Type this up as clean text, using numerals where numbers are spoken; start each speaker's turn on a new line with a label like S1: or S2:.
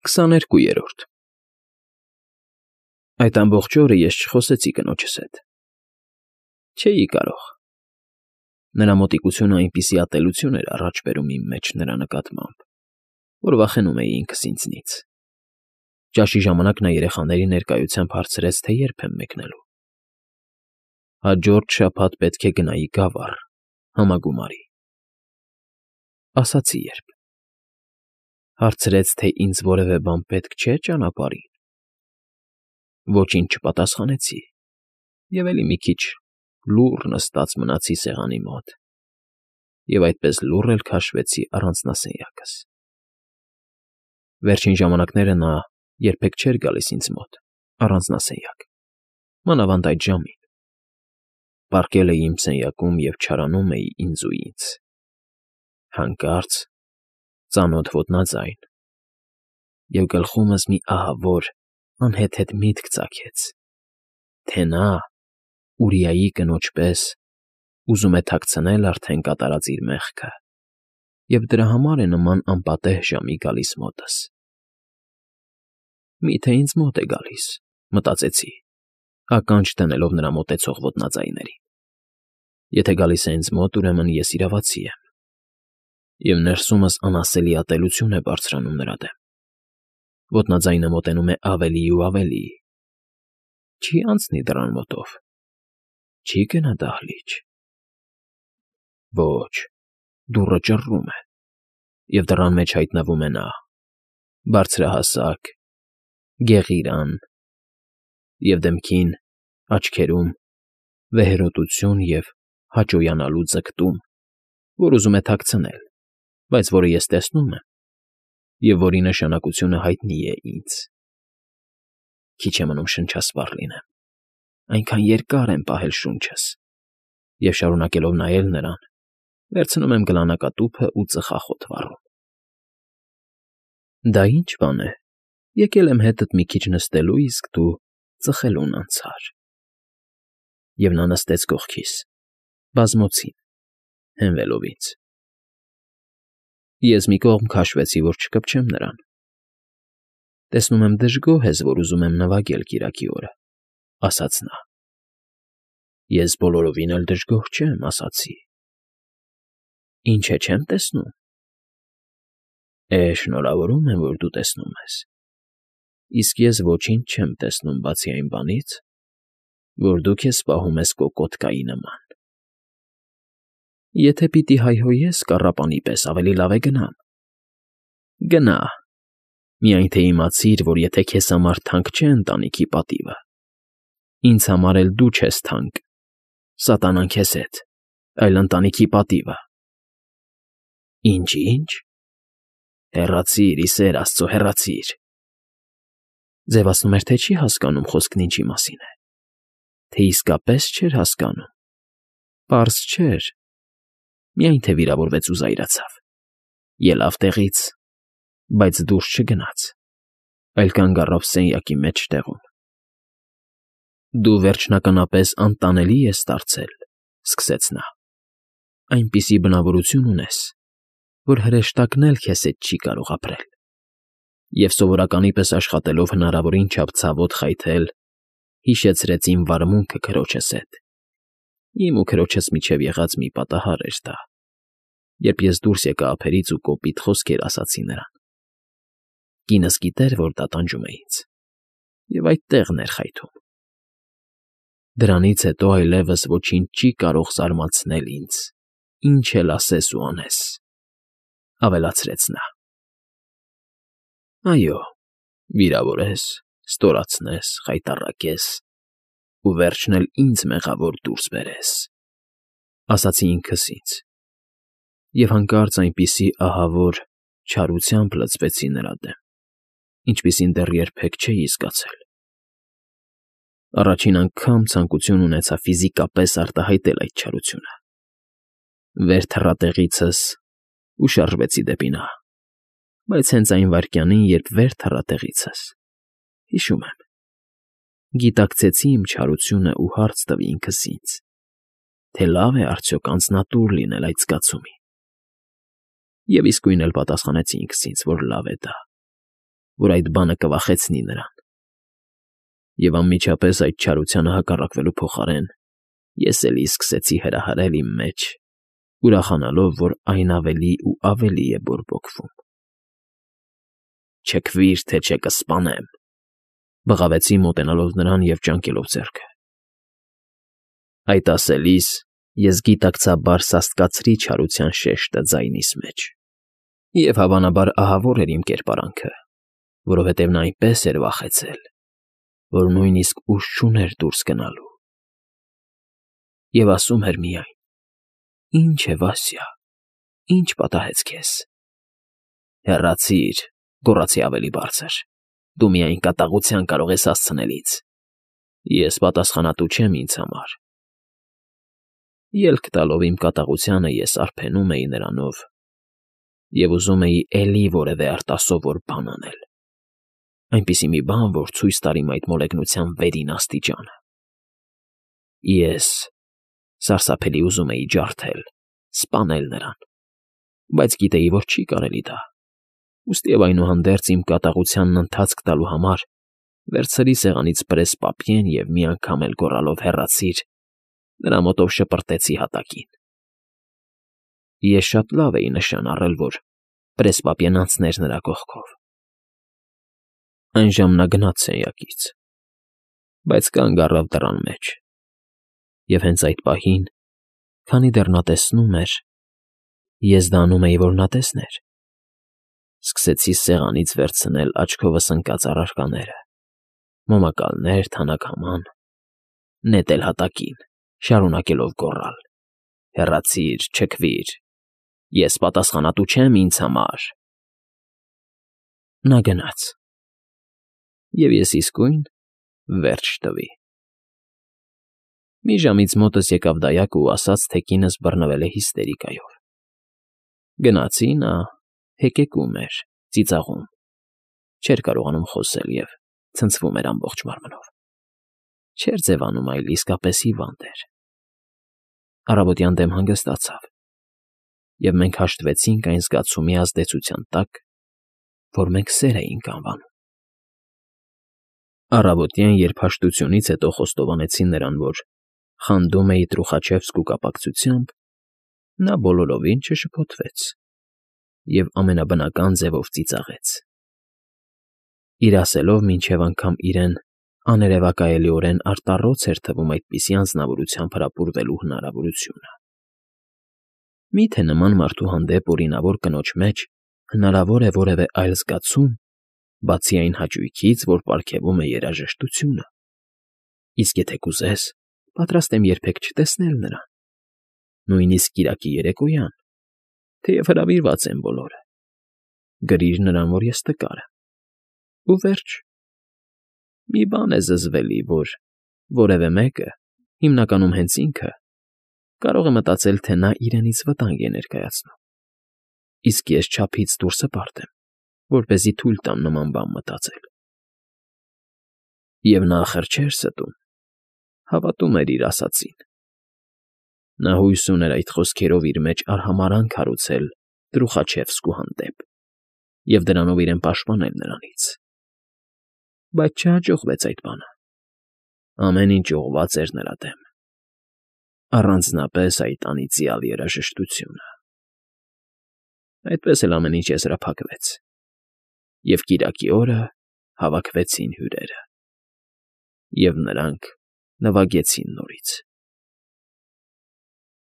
S1: 22-րդ Այդ ամբողջ օրը ես չխոսեցի կնոջս հետ։ Չէի կարող։ Նրա մոտիկությունը այնպիսի ատելություն էր առաջ բերում իմ մեջ նրա նկատմամբ, որ վախենում էի ինքս ինձնից։ Ճաշի ժամանակ նա երեխաների ներկայությամբ հարցրեց, թե երբ եմ մեկնելու։ Հաջորդ շաբաթ պետք է գնայի Գավառ, համագումարի։ Ասացի երբ։ Հարցրեց, թե ինձ որևէ բան պետք չէ ճանապարհին։ Ոչինչ չպատասխանեցի, և էլի մի քիչ լուռ նստած մնացի սեղանի մոտ, և այդպես լուռ էլ քաշվեցի առանձնասենյակս։ Վերջին ժամանակները նա երբեք չէր գալիս ինձ մոտ, առանձնասենյակ, մանավանդ այդ ժամին։ Պառկել էի իմ սենյակում և չարանում էի ինձ ու ինձ։ Հանկարծ ծանոթ ոտնաձայն, և գլխումս մի ահավոր, անհեթեթ միտք ծագեց, թե նա, Ուրիայի կնոջ պես, ուզում է թաքցնել արդեն կատարած իր մեղքը և դրա համար է նման անպատեհ ժամի գալիս մոտս։ Մի՞թե ինձ մոտ է գալիս, մտածեցի, ականջ դնելով նրա մոտեցող ոտնաձայներին։ Եթե գալիս է ինձ մոտ, ուրեմն ես իրավացի եմ, և ներսումս անասելի ատելություն է բարձրանում նրա դեմ։ Ոտնաձայնը մոտենում է ավելի ու ավելի։ Չի անցնի դռան մոտով, չի գնա դահլիճ։ Ոչ, դուռը ճռռում է, և դռան մեջ հայտնվում է նա, բարձրահասակ, գեղիրան, և դեմքին, աչքերում վեհերոտություն և հաճոյանալու ձգտում, որ ուզում է թաքցնել, բայց որը ես տեսնում եմ, և որի նշանակությունը հայտնի է ինձ։ Քիչ է մնում շնչասպառ լինեմ, այնքան երկար եմ պահել շունչս, և շարունակելով նայել նրան, վերցնում եմ գլանակատուփն ու ծխախոտ վառում։ Դա ի՞նչ բան է, եկել եմ հետդ մի քիչ նստելու, իսկ դու ծխելուն անցար։ Եվ նա նստեց կողքիս, բազմոցին, հենվելով ինձ։ Ես մի կողմ քաշվեցի, որ չկպչեմ նրան։ Տեսնում եմ դժգոհ ես, որ ուզում եմ նվագել կիրակի օրը, ասաց նա։ Ես բոլորովին էլ դժգոհ չեմ, ասացի։ Ինչ է, չեմ տեսնում։ Շնորհավորում եմ, որ դու տեսնում ես, իսկ ես ոչինչ չեմ տեսնում, բացի այն բանից, որ դու քեզ պահում ես կոկորդկայի նման։ Եթե պիտի հայհոյես կառապանի պես, ավելի լավ է գնամ։ Գնա, միայն թե իմացիր, որ եթե քեզ համար թանկ չէ ընտանիքի պատիվը, ինձ համար էլ դու չես թանկ, սատանան քեզ հետ, այլ ընտանիքի պատիվը։ Ինչ, հեռացիր, ի սեր աստծո, հեռացիր։ Ձևացնում էր, թե չի հասկանում խոսքն ինչի մասին է, թե իսկապես չէր հասկանում, պարզ չէր, միայն թե վիրավորվեց ու զայրացավ, ելավ տեղից, բայց դուրս չգնաց, այլ կանգ առավ սենյակի մեջտեղում։ Դու վերջնականապես անտանելի ես դարձել, սկսեց նա, այնպիսի բնավորություն ունես, որ հրեշտակն էլ քեզ հետ չի կարող ապրել, և սովորականի պես աշխատելով հնարավորին չափ ցավոտ խայթել, հիշեցրեց իմ վարմունքը քրոջս հետ։ Իմ ու քրոջս միջև եղած մի պատահար էր դա, երբ ես դուրս եկա ափերից ու կոպիտ խոսքեր ասացի նրան։ Կինս գիտեր, որ դա տանջում է ինձ, և այդ տեղն էր խայթում։ Դրանից հետո այլևս ոչինչ չի կարող զարմացնել ինձ, ինչ էլ ասես ու անես, ավելացրեց նա։ Այո, վիրավորես, ստորացնես, խայտառակես ու վերջն էլ ինձ մեղավոր դուրս բերես, ասացի ինքս ինձ, և հանկարծ այնպիսի ահավոր չարությամբ լցվեցի նրա դեմ, ինչպիսին դեռ երբեք չէի զգացել։ Առաջին անգամ ցանկություն ունեցա ֆիզիկապես արտահայտել այդ չարությունը։ Վեր թռա տեղիցս ու շարժվեցի դեպի նա, բայց հենց այն վայրկյանին, երբ վեր թռա տեղիցս, հիշում եմ, գիտակցեցի իմ չարությունն ու հարց տվի ինքս ինձ, թե լավ է արդյոք անձնատուր լինել այդ զգացումին։ Եվ իսկույն էլ պատասխանեցի ինքս ինձ, որ լավ է դա, որ այդ բանը կվախեցնի նրան։ Եվ անմիջապես այդ չարությանը հակառակվելու փոխարեն ես էլի սկսեցի հրահրել իմ մեջ, ուրախանալով, որ այն ավելի ու ավելի է բորբոքվում։ «Չքվիր, թե չէ կսպանեմ», բղավեցի մոտենալով նրան և ճանկելով ձեռքը։ Այդ ասելիս ես գիտակցաբար սաստկացրի չարության շեշտը ձայնիս մեջ, և հավանաբար ահավոր էր իմ կերպարանքը, որովհետև նա այնպես էր վախեցել, որ նույնիսկ ուժ չուներ դուրս գնալու։ Եվ ասում էր միայն. «Ի՞նչ է, Վասյա, ի՞նչ պատահեց քեզ»։ «Հեռացիր», գոռացի ավելի բարձր, «դու միայն կատաղության կարող ես հասցնել ինձ, ես պատասխանատու չեմ ինձ համար»։ Ելք տալով իմ կատաղությանը ես արբենում էի նրանով և ուզում էի էլի որևէ արտասովոր բան անել, այնպիսի մի բան, որ ցույց տար իմ այդ մոլեգնության վերին աստիճանը։ Ես սարսափելի ուզում էի ջարդել, սպանել նրան, բայց գիտեի, որ չի կարելի դա, ուստի և այնուհանդերձ իմ կատաղությանն ընթացք տալու համար վերցրի սեղանից պրեսպապիեն և մի անգամ էլ գոռալով «հեռացիր» նրա մոտով շպրտեցի հատակին։ Ես շատ լավ էի նշան առել, որ պրեսպապիեն անցներ նրա կողքով։ Այժմ նա գնաց սենյակից, բայց կանգ առավ դռան մեջ, և հենց այդ պահին, քանի դեռ նա տեսնում էր, ես դա անում էի, որ նա տեսներ, սկսեցի սեղանից վերցնել աչքովս ընկած առարկաները՝ մոմակալներ, թանաքաման, նետել հատակին, շարունակելով գոռալ. «Հեռացիր, չքվիր, ես պատասխանատու չեմ ինձ համար»։ Նա գնաց, և ես իսկույն վերջ տվի։ Մի ժամից մոտս եկավ դայակը ու ասաց, թե կինս բռնվել է հիստերիկայով։ Գնացի, նա հեկեկում էր, ծիծաղում, չէր կարողանում խոսել և ցնցվում էր ամբողջ մարմնով։ Չէր ձևանում, այլ իսկապես հիվանդ էր։ Առավոտյան դեմ հանգստացավ, և մենք հաշտվեցինք այն զգացումի ազդեցության տակ, որ մենք սեր էինք անվանում։ Առավոտյան, երբ հաշտությունից հետո խոստովանեցի նրան, որ խանդում էի Տրուխաչևսկու կապակցությամբ, նա բոլորովին չշփոթվեց և ամենաբնական ձևով ծիծաղեց։ Իր ասելով մինչև անգամ իրեն աներևակայելիորեն արտառոց էր թվում այդպիսի անձնավորությամբ հրապուրվելու հնարավորությունը։ Մի՞թե նման մարդու հանդեպ օրինավոր կնոջ մեջ հնարավոր է որևէ այլ զգացում, բացի այն հաճույքից, որ պարգևում է երաժշտությունը։ Իսկ եթե կուզես, պատրաստ եմ երբեք չտեսնել նրան, նույնիսկ կիրակի երեկոյան, թեև հրավիրված են բոլորը։ Գրիր նրան, որ ես տկար եմ, ու վերջ։ Մի բան է զզվելի, որ որևէ մեկը, հիմնականում հենց ինքը, կարող է մտածել, թե նա իրենից վտանգ է ներկայացնում, իսկ ես չափից դուրս հպարտ եմ, որպեսզի թույլ տամ նման բան մտածել։ Եվ նա, ախր, չէր ստում, հավատում էր իր ասածին։ Նա հույս ուներ այդ խոսքերով իր մեջ արհամարհանք հարուցել Տրուխաչևսկու հանդեպ և դրանով իրեն պաշտպանել նրանից։ Բայց չհաջողվեց այդ բանը։ Ամեն ինչ ուղղված էր նրա դեմ, առանձնապես այդ անիծյալ երաժշտությունը։ Այդպես էլ ամեն ինչ եզրափակվեց, և կիրակի օրը հավաքվեցին հյուրերը, և նրանք նվագեցին նորից։